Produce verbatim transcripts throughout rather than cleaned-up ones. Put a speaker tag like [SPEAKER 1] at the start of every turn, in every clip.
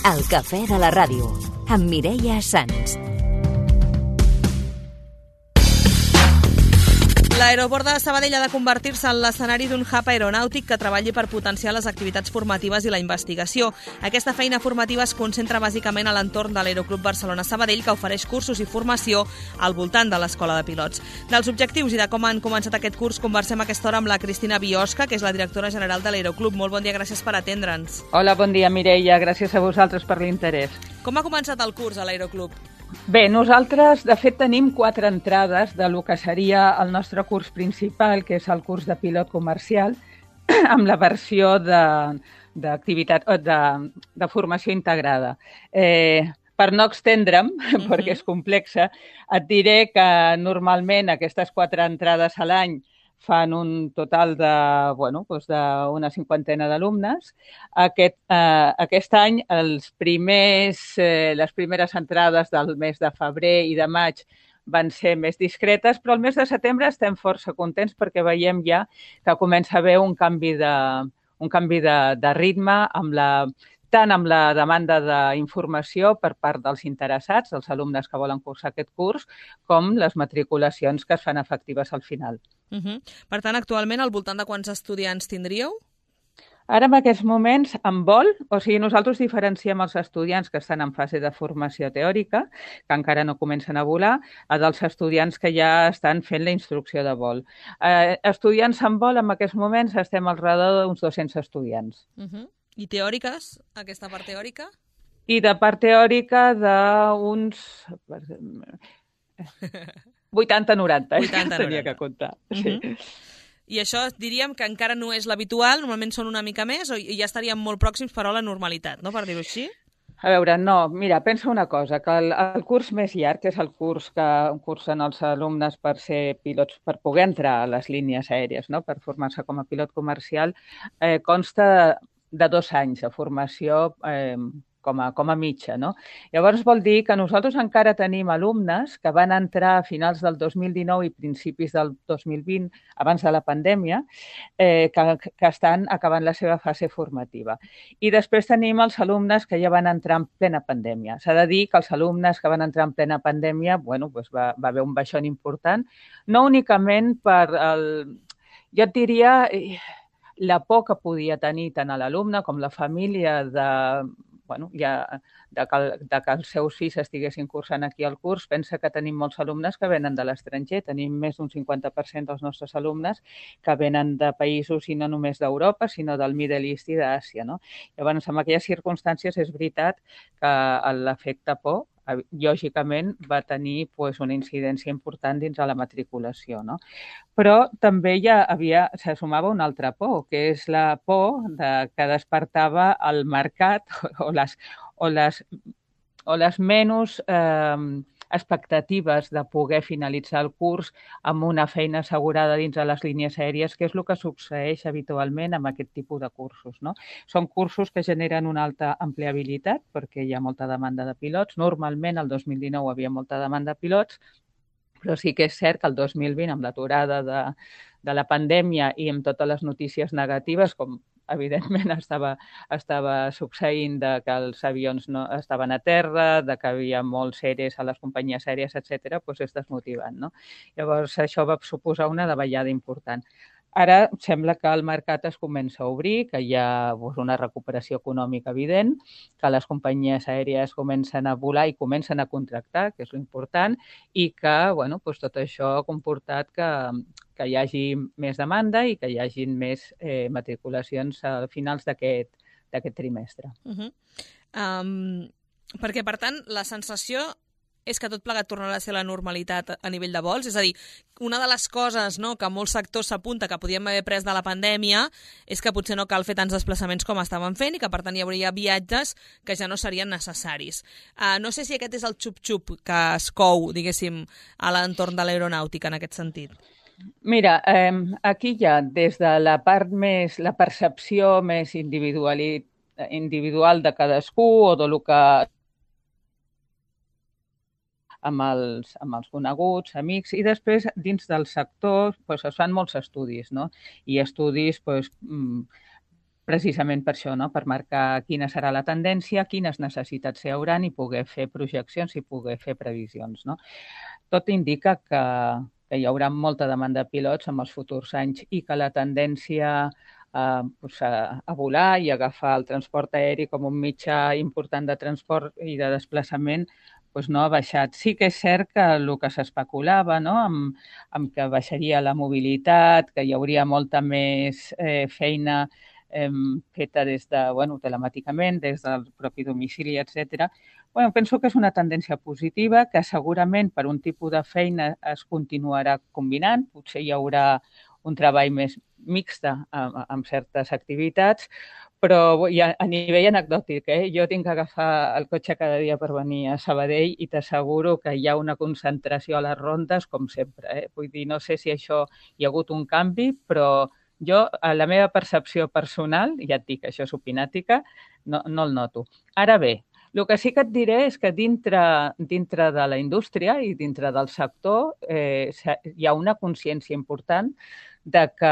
[SPEAKER 1] El cafè de la ràdio, amb Mireia Sans.
[SPEAKER 2] L'aeroport de Sabadell ha de convertir-se en l'escenari d'un hub aeronàutic que treballi per potenciar les activitats formatives i la investigació. Aquesta feina formativa es concentra bàsicament a l'entorn de l'Aeroclub Barcelona-Sabadell, que ofereix cursos i formació al voltant de l'Escola de Pilots. Dels objectius i de com han començat aquest curs conversem a aquesta hora amb la Cristina Biosca, que és la directora general de l'Aeroclub. Molt bon dia, gràcies per atendre'ns.
[SPEAKER 3] Hola, bon dia, Mireia. Gràcies a vosaltres per l'interès.
[SPEAKER 2] Com ha començat el curs a l'Aeroclub?
[SPEAKER 3] Bé, nosaltres, de fet, tenim quatre entrades de lo que seria el nostre curs principal, que és el curs de pilot comercial, amb la versió d'activitat de, de, de formació integrada. Eh, per no extendre'm, uh-huh. perquè és complexa, et diré que normalment aquestes quatre entrades a l'any fan un total de, bueno, doncs d'una cinquantena d'alumnes. Aquest, eh, aquest any, els primers, eh, les primeres entrades del mes de febrer i de maig van ser més discretes, però el mes de setembre estem força contents perquè veiem ja que comença a haver un canvi de, un canvi de, de ritme amb la tant amb la demanda d'informació per part dels interessats, dels alumnes que volen cursar aquest curs, com les matriculacions que es fan efectives al final.
[SPEAKER 2] Uh-huh. Per tant, actualment, al voltant de quants estudiants tindríeu?
[SPEAKER 3] Ara, en aquests moments, en vol, o sigui, nosaltres diferenciem els estudiants que estan en fase de formació teòrica, que encara no comencen a volar, a dels estudiants que ja estan fent la instrucció de vol. Eh, estudiants en vol, en aquests moments, estem al redor d'uns dos-cents estudiants.
[SPEAKER 2] Uh-huh. I teòriques, aquesta part teòrica?
[SPEAKER 3] I de part teòrica d'uns vuitanta noranta,
[SPEAKER 2] vuitanta,
[SPEAKER 3] tenia que comptar. Sí.
[SPEAKER 2] Uh-huh. I això diríem que encara no és l'habitual, normalment són una mica més, o ja estaríem molt pròxims però a la normalitat, no? Per dir-ho així?
[SPEAKER 3] A veure, no, mira, pensa una cosa, que el, el curs més llarg, que és el curs que cursen els alumnes per ser pilots, per poder entrar a les línies aèries, no? Per formar-se com a pilot comercial, eh, consta de dos anys de formació eh, com, a, com a mitja, no? Llavors vol dir que nosaltres encara tenim alumnes que van entrar a finals del dos mil dinou i principis del dos mil vint, abans de la pandèmia, eh, que, que estan acabant la seva fase formativa. I després tenim els alumnes que ja van entrar en plena pandèmia. S'ha de dir que els alumnes que van entrar en plena pandèmia, bueno, doncs va, va haver un baixón important, no únicament per el... Jo et diria... Eh, la por que podia tenir tant a l'alumne com la família de, bueno, ja, de, que, de que els seus fills estiguessin cursant aquí al curs. Pensa que tenim molts alumnes que venen de l'estranger. Tenim més d'un cinquanta per cent dels nostres alumnes que venen de països i no només d'Europa, sinó del Middle East i d'Àsia, no? Llavors, en aquelles circumstàncies és veritat que l'efecte por lògicament va tenir pues, una incidència important dins de la matriculació, no? Però també ja havia, se sumava una altra por, que és la por de, que despertava el mercat o les, o les, o les menys eh, expectatives de poder finalitzar el curs amb una feina assegurada dins de les línies aèries, que és el que succeeix habitualment amb aquest tipus de cursos, no? Són cursos que generen una alta empleabilitat perquè hi ha molta demanda de pilots. Normalment, el dos mil dinou hi havia molta demanda de pilots, però sí que és cert que el dos mil vint, amb l'aturada de, de la pandèmia i amb totes les notícies negatives, com evidentment estava, estava succeint de que els avions no estaven a terra, de que hi havia molts eres a les companyies aèries, etcètera, doncs és desmotivant, no? Llavors, això va suposar una davallada important. Ara sembla que el mercat es comença a obrir, que hi ha doncs, una recuperació econòmica evident, que les companyies aèries comencen a volar i comencen a contractar, que és l'important, i que bueno, doncs, tot això ha comportat que, que hi hagi més demanda i que hi hagi més eh, matriculacions a finals d'aquest d'aquest trimestre.
[SPEAKER 2] Uh-huh. um, perquè, per tant, la sensació és que tot plegat tornarà a ser la normalitat a nivell de vols. És a dir, una de les coses, no, que molts sectors s'apunta que podíem haver pres de la pandèmia és que potser no cal fer tants desplaçaments com estaven fent i que, per tant, hi hauria viatges que ja no serien necessaris. Uh, no sé si aquest és el xup-xup que es cou, diguéssim, a l'entorn de l'aeronàutica en aquest sentit.
[SPEAKER 3] Mira, eh, aquí hi ha des de la part més, la percepció més individual, individual de cadascú o de lo que amb els, amb els coneguts, amics, i després dins del sector pues, es fan molts estudis, no? I estudis pues, precisament per això, no? Per marcar quina serà la tendència, quines necessitats hi hauran i poder fer projeccions i poder fer previsions, no? Tot indica que, que hi haurà molta demanda de pilots en els futurs anys i que la tendència a, pues a, a volar i agafar el transport aeri com un mitjà important de transport i de desplaçament pues no ha baixat. Sí que és cert que el que s'especulava, no? amb, amb que baixaria la mobilitat, que hi hauria molta més eh, feina eh, feta des de, bueno, telemàticament, des del propi domicili, etcètera. Bueno, penso que és una tendència positiva, que segurament per un tipus de feina es continuarà combinant, potser hi haurà un treball més mixta amb, amb certes activitats, però ja, a nivell anecdòtic, eh? Jo tinc que agafar el cotxe cada dia per venir a Sabadell i t'asseguro que hi ha una concentració a les rondes, com sempre. Eh? Vull dir, no sé si això hi ha hagut un canvi, però jo, a la meva percepció personal, ja et dic, això és opinàtica, no, no el noto. Ara bé, el que sí que et diré és que dintre, dintre de la indústria i dintre del sector eh, hi ha una consciència important de que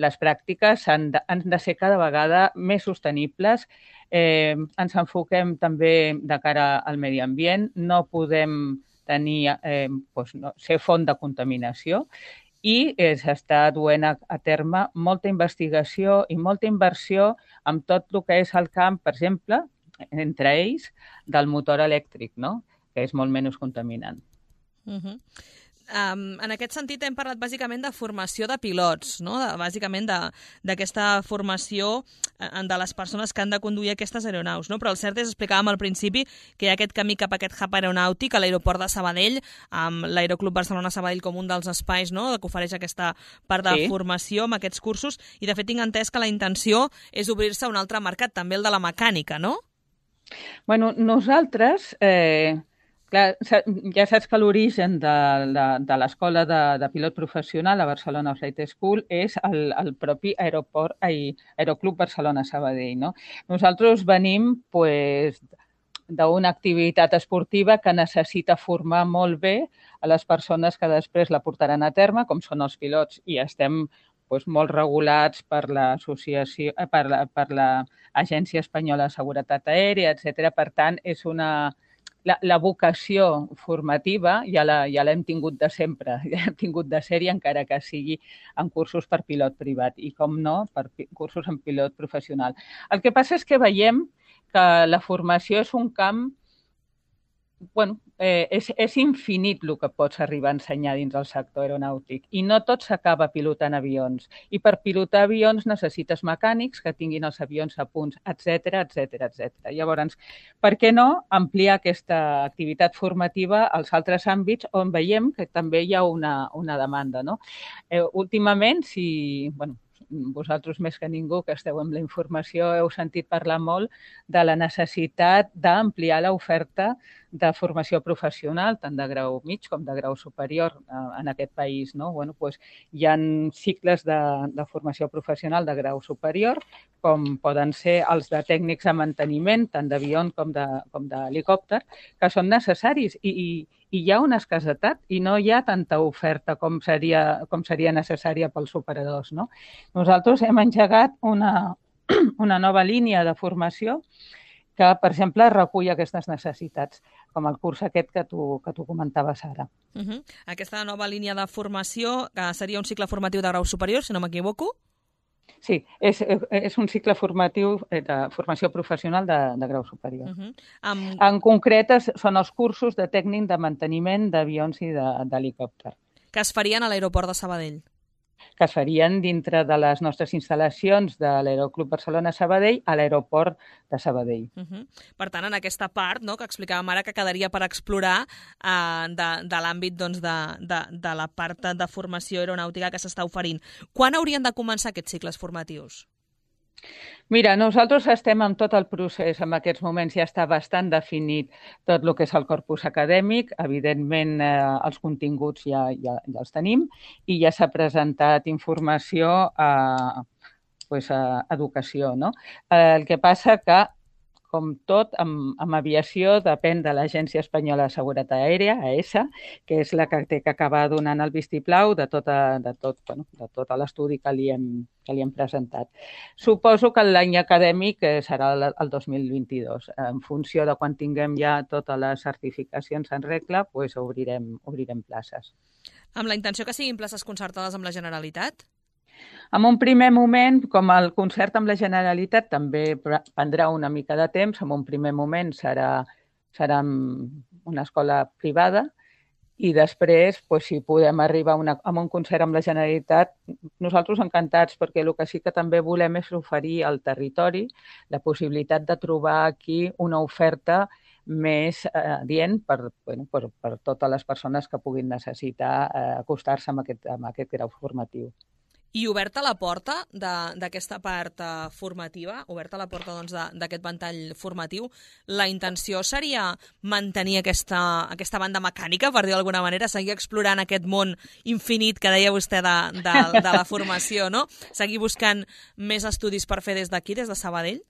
[SPEAKER 3] les pràctiques han de, han de ser cada vegada més sostenibles. Eh, ens enfoquem també de cara al medi ambient, no podem tenir, eh, doncs no, ser font de contaminació i eh, s'està duent a, a terme molta investigació i molta inversió en tot el que és el camp, per exemple, entre ells, del motor elèctric, no? Que és molt menys contaminant.
[SPEAKER 2] Uh-huh. Um, en aquest sentit hem parlat bàsicament de formació de pilots, no? de, bàsicament d'aquesta formació de les persones que han de conduir aquestes aeronaus, no? Però el cert és, explicàvem al principi, que hi ha aquest camí cap a aquest hub aeronàutic a l'aeroport de Sabadell, amb l'Aeroclub Barcelona Sabadell com un dels espais, no? que ofereix aquesta part de sí. formació amb aquests cursos, i de fet tinc entès que la intenció és obrir-se a un altre mercat, també el de la mecànica, no?
[SPEAKER 3] Bueno, nosaltres... Eh... Clar, ja saps que l'origen de, de, de l'escola de, de pilot professional a Barcelona Flight School és el, el propi aeroport, ai, Aeroclub Barcelona Sabadell. No? Nosaltres venim pues, d'una activitat esportiva que necessita formar molt bé a les persones que després la portaran a terme, com són els pilots, i estem pues, molt regulats per l'associació, per la, per l'Agència Espanyola de Seguretat Aèria, etcètera. Per tant, és una... La, la vocació formativa ja la, ja l'hem tingut de sempre, ja l'hem tingut de sèrie, encara que sigui en cursos per pilot privat i, com no, per cursos en pilot professional. El que passa és que veiem que la formació és un camp, bueno, eh, és, és infinit el que pots arribar a ensenyar dins del sector aeronàutic i no tot s'acaba pilotant avions. I per pilotar avions necessites mecànics que tinguin els avions a punts, etcètera, etcètera, etcètera. Llavors, per què no ampliar aquesta activitat formativa als altres àmbits on veiem que també hi ha una, una demanda, no? Eh, últimament, si... Bueno, vosaltres més que ningú que esteu amb la informació heu sentit parlar molt de la necessitat d'ampliar l'oferta de formació professional, tant de grau mig com de grau superior en aquest país. No? Bueno, doncs, hi ha cicles de, de formació professional de grau superior, com poden ser els de tècnics de manteniment, tant d'avió com de, com d'helicòpter, que són necessaris i, i i hi ha una escassetat i no hi ha tanta oferta com seria, com seria necessària pels operadors. No? Nosaltres hem engegat una, una nova línia de formació que, per exemple, recull aquestes necessitats, com el curs aquest que tu, que tu comentaves ara.
[SPEAKER 2] Uh-huh. Aquesta nova línia de formació que seria un cicle formatiu de grau superior, si no m'equivoco?
[SPEAKER 3] Sí, és, és un cicle formatiu de formació professional de, de grau superior. Uh-huh. um... En concret, són els cursos de tècnic de manteniment d'avions i d'helicòpter.
[SPEAKER 2] Que es farien a l'aeroport de Sabadell?
[SPEAKER 3] Que es farien dintre de les nostres instal·lacions de l'Aeroclub Barcelona Sabadell a l'aeroport de Sabadell.
[SPEAKER 2] Uh-huh. Per tant, en aquesta part, no, que explicàvem ara, que quedaria per explorar uh, de, de l'àmbit doncs, de, de, de la part de formació aeronàutica que s'està oferint. Quan haurien de començar aquests cicles formatius?
[SPEAKER 3] Mira, nosaltres estem en tot el procés, en aquests moments ja està bastant definit tot el que és el corpus acadèmic, evidentment eh, els continguts ja, ja, ja els tenim i ja s'ha presentat informació a, pues, a educació. No? Eh, el que passa que com tot, amb, amb aviació depèn de l'Agència Espanyola de Seguretat Aèria, A E S A, que és la que té que acabar donant el vistiplau de, tota, de, tot, bueno, de tot l'estudi que li hem, que li hem presentat. Suposo que l'any acadèmic serà el, el dos mil vint-i-dos. En funció de quan tinguem ja totes les certificacions en regla, pues obrirem, obrirem places.
[SPEAKER 2] Amb la intenció que siguin places concertades amb la Generalitat?
[SPEAKER 3] En un primer moment, com el concert amb la Generalitat també prendrà una mica de temps, en un primer moment serà, serà una escola privada i després, pues, si podem arribar a, una, a un concert amb la Generalitat, nosaltres encantats, perquè el que sí que també volem és oferir al territori la possibilitat de trobar aquí una oferta més eh, adient per, bueno, per, per totes les persones que puguin necessitar eh, acostar-se amb aquest, amb aquest grau formatiu.
[SPEAKER 2] I oberta la porta d'aquesta part uh, formativa, oberta la porta doncs, d'aquest ventall formatiu, la intenció seria mantenir aquesta, aquesta banda mecànica, per dir d'alguna manera, seguir explorant aquest món infinit que deia vostè de, de, de la formació, no? Seguir buscant més estudis per fer des d'aquí, des de Sabadell?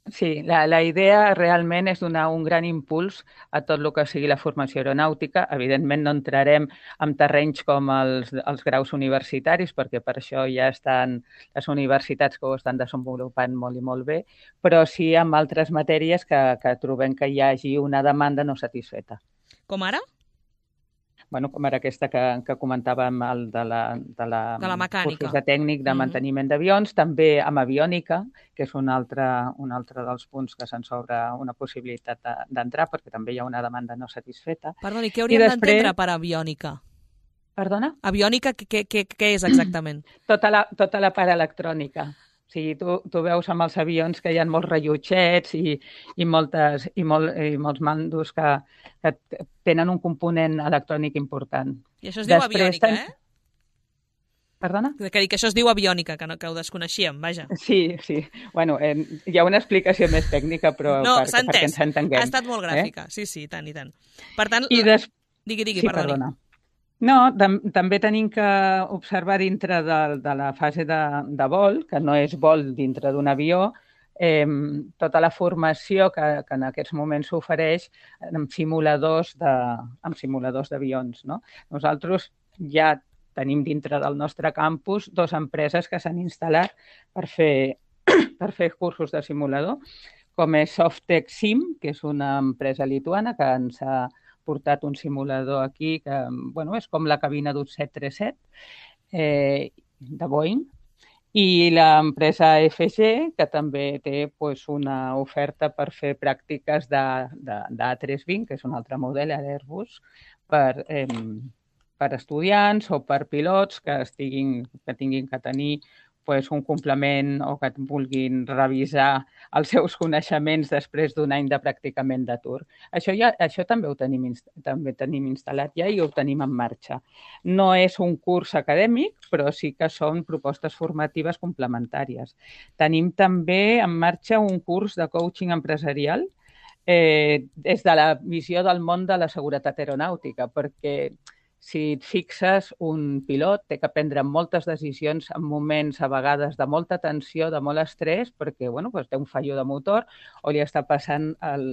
[SPEAKER 3] Sí, la, la idea realment és donar un gran impuls a tot el que sigui la formació aeronàutica. Evidentment no entrarem en terrenys com els, els graus universitaris, perquè per això ja estan les universitats que ho estan desenvolupant molt i molt bé, però sí en altres matèries que, que trobem que hi hagi una demanda no satisfeta.
[SPEAKER 2] Com ara?
[SPEAKER 3] Bueno, com era aquesta que, que comentàvem, el de la, de la,
[SPEAKER 2] de la mecànica.
[SPEAKER 3] Cursos de tècnic de manteniment d'avions, també amb aviònica, que és un altre, un altre dels punts que se'ns obre una possibilitat d'entrar, perquè també hi ha una demanda no satisfeta.
[SPEAKER 2] Perdoni, què hauríem després... d'entendre per aviònica?
[SPEAKER 3] Perdona?
[SPEAKER 2] Aviònica, què, què, què és exactament?
[SPEAKER 3] Tota la, tota la part electrònica. O sigui, tu, tu veus amb els avions que hi ha molts rellotgets i, i, moltes, i, molt, i molts mandos que, que tenen un component electrònic important.
[SPEAKER 2] I això es diu Després, aviònica, ten... eh?
[SPEAKER 3] Perdona?
[SPEAKER 2] Que dic que això es diu aviònica, que, no, que ho desconeixíem, vaja.
[SPEAKER 3] Sí, sí. Bueno, eh, hi ha una explicació més tècnica, però
[SPEAKER 2] no,
[SPEAKER 3] per, perquè ens entenguem.
[SPEAKER 2] Ha estat molt gràfica, eh? sí, sí, tant i tant. Per tant,
[SPEAKER 3] I des...
[SPEAKER 2] digui, digui,
[SPEAKER 3] sí,
[SPEAKER 2] perdoni.
[SPEAKER 3] Perdona. No, tam també tenim que observar dintre de, de la fase de, de vol, que no és vol dintre d'un avió, eh, tota la formació que, que en aquests moments s'ofereix amb simuladors de, amb simuladors d'avions, no? Nosaltres ja tenim dintre del nostre campus dues empreses que s'han instal·lat per fer, per fer cursos de simulador, com és Softtech Sim, que és una empresa lituana que ens ha portat un simulador aquí que, bueno, és com la cabina d'un set tres set eh, de Boeing, i l'empresa F G, que també té pues, una oferta per fer pràctiques d'A tres vint, que és un altre model d'Airbus, per, eh, per estudiants o per pilots que, estiguin, que tinguin que tenir pues, un complement o que vulguin revisar els seus coneixements després d'un any de practicament d'atur. Això, ja, això també ho tenim, també tenim instal·lat ja i ho tenim en marxa. No és un curs acadèmic, però sí que són propostes formatives complementàries. Tenim també en marxa un curs de coaching empresarial eh, des de la visió del món de la seguretat aeronàutica, perquè si et fixes, un pilot té que prendre moltes decisions en moments a vegades de molta tensió, de molt estrès, perquè bueno, pues té un fallo de motor o li està passant el,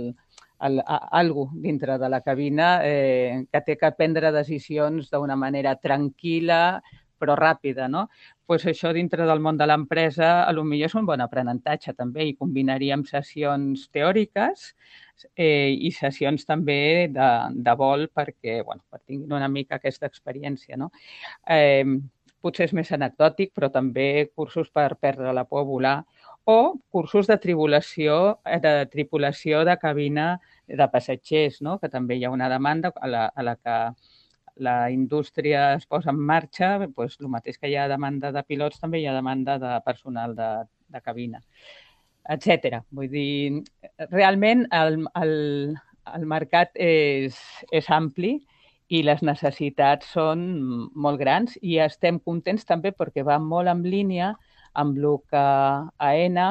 [SPEAKER 3] el, a, algo dintre de la cabina eh, que té que prendre decisions d'una manera tranquil·la però ràpida, no? Pues això dintre del món de l'empresa potser és un bon aprenentatge també i combinaríem sessions teòriques eh, i sessions també de, de vol perquè, bueno, per tinguin una mica aquesta experiència, no? Eh, potser és més anecdòtic, però també cursos per perdre la por a volar o cursos de tripulació, de tripulació de cabina de passatgers, no? Que també hi ha una demanda a la, a la que la indústria es posa en marxa, doncs, el mateix que hi ha demanda de pilots, també hi ha demanda de personal de, de cabina, etcètera. Vull dir, realment el, el, el mercat és, és ampli i les necessitats són molt grans i estem contents també perquè va molt en línia amb el que AENA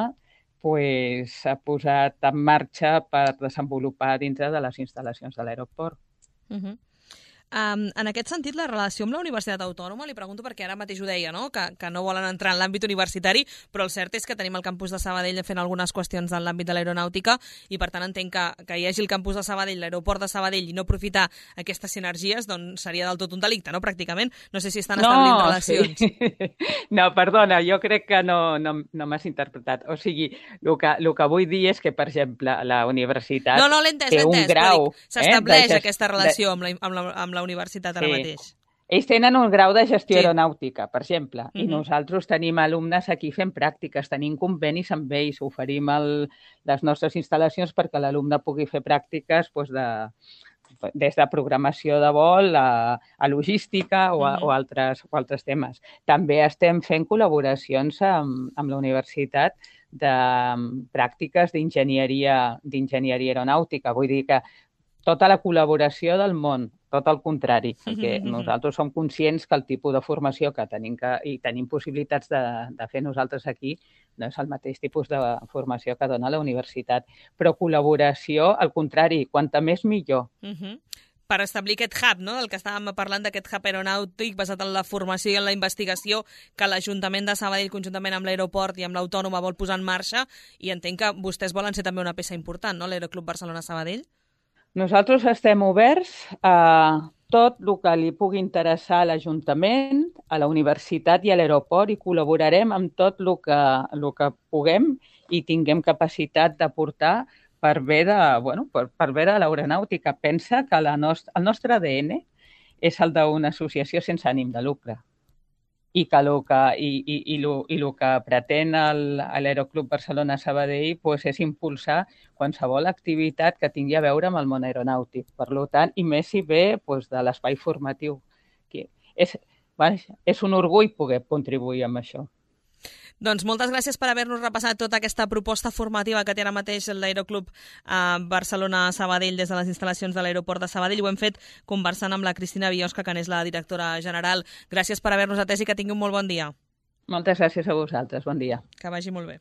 [SPEAKER 3] pues, ha posat en marxa per desenvolupar dintre de les instal·lacions de l'aeroport.
[SPEAKER 2] Uh-huh. Um, en aquest sentit, la relació amb la Universitat Autònoma, li pregunto perquè ara mateix ho deia, no? Que, que no volen entrar en l'àmbit universitari, però el cert és que tenim el campus de Sabadell fent algunes qüestions en l'àmbit de l'aeronàutica i per tant entenc que, que hi hagi el campus de Sabadell, l'aeroport de Sabadell i no aprofitar aquestes sinergies, doncs seria del tot un delicte, no? Pràcticament. No sé si estan
[SPEAKER 3] no,
[SPEAKER 2] establint relacions.
[SPEAKER 3] Sí. No, perdona, jo crec que no, no, no m'has interpretat. O sigui, el que, el que vull dir és que, per exemple, la universitat
[SPEAKER 2] no, no, l'he entès,
[SPEAKER 3] té un grau...
[SPEAKER 2] S'estableix
[SPEAKER 3] eh,
[SPEAKER 2] aquesta relació amb la, amb la, amb la universitat ara
[SPEAKER 3] sí.
[SPEAKER 2] mateix.
[SPEAKER 3] Ells tenen un grau de gestió
[SPEAKER 2] sí.
[SPEAKER 3] aeronàutica, per exemple, uh-huh. i
[SPEAKER 2] Mhm.
[SPEAKER 3] nosaltres tenim alumnes aquí fent pràctiques, tenim convenis amb ells, oferim el, les nostres instal·lacions perquè l'alumne pugui fer pràctiques doncs, de, des de programació de vol a, a logística o, a, uh-huh. o, altres, o altres temes. També estem fent col·laboracions amb, amb la universitat de pràctiques d'enginyeria d'enginyeria aeronàutica. Vull dir que tota la col·laboració del món, tot el contrari, perquè
[SPEAKER 2] Mm-hmm.
[SPEAKER 3] nosaltres som conscients que el tipus de formació que tenim que, i tenim possibilitats de, de fer nosaltres aquí no és el mateix tipus de formació que dona la universitat. Però col·laboració, al contrari, quanta més millor.
[SPEAKER 2] Mm-hmm. Per establir aquest hub, no? El que estàvem parlant d'aquest hub aeronàutic basat en la formació i en la investigació que l'Ajuntament de Sabadell, conjuntament amb l'aeroport i amb l'Autònoma, vol posar en marxa, i entenc que vostès volen ser també una peça important, no?, l'Aeroclub Barcelona-Sabadell.
[SPEAKER 3] Nosaltres estem oberts a tot el que li pugui interessar a l'Ajuntament, a la universitat i a l'aeroport i col·laborarem amb tot el que, el que puguem i tinguem capacitat d'aportar per bé de, bueno, per, per bé de l'aeronàutica. Pensa que la nost- el nostre A D N és el d'una associació sense ànim de lucre i que el que, i, i, i lo, i lo que pretén el, l'Aeroclub Barcelona-Sabadell pues, és impulsar qualsevol activitat que tingui a veure amb el món aeronàutic. Per tant, i més si ve pues, de l'espai formatiu. Que és, és un orgull poder contribuir amb això.
[SPEAKER 2] Doncs moltes gràcies per haver-nos repassat tota aquesta proposta formativa que té ara mateix l'Aeroclub eh, Barcelona-Sabadell des de les instal·lacions de l'aeroport de Sabadell. Ho hem fet conversant amb la Cristina Biosca, que n'és la directora general. Gràcies per haver-nos atès i que tingui un molt bon dia.
[SPEAKER 3] Moltes gràcies a vosaltres. Bon dia.
[SPEAKER 2] Que vagi molt bé.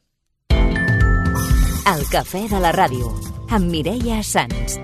[SPEAKER 1] El cafè de la ràdio, amb Mireia Sans.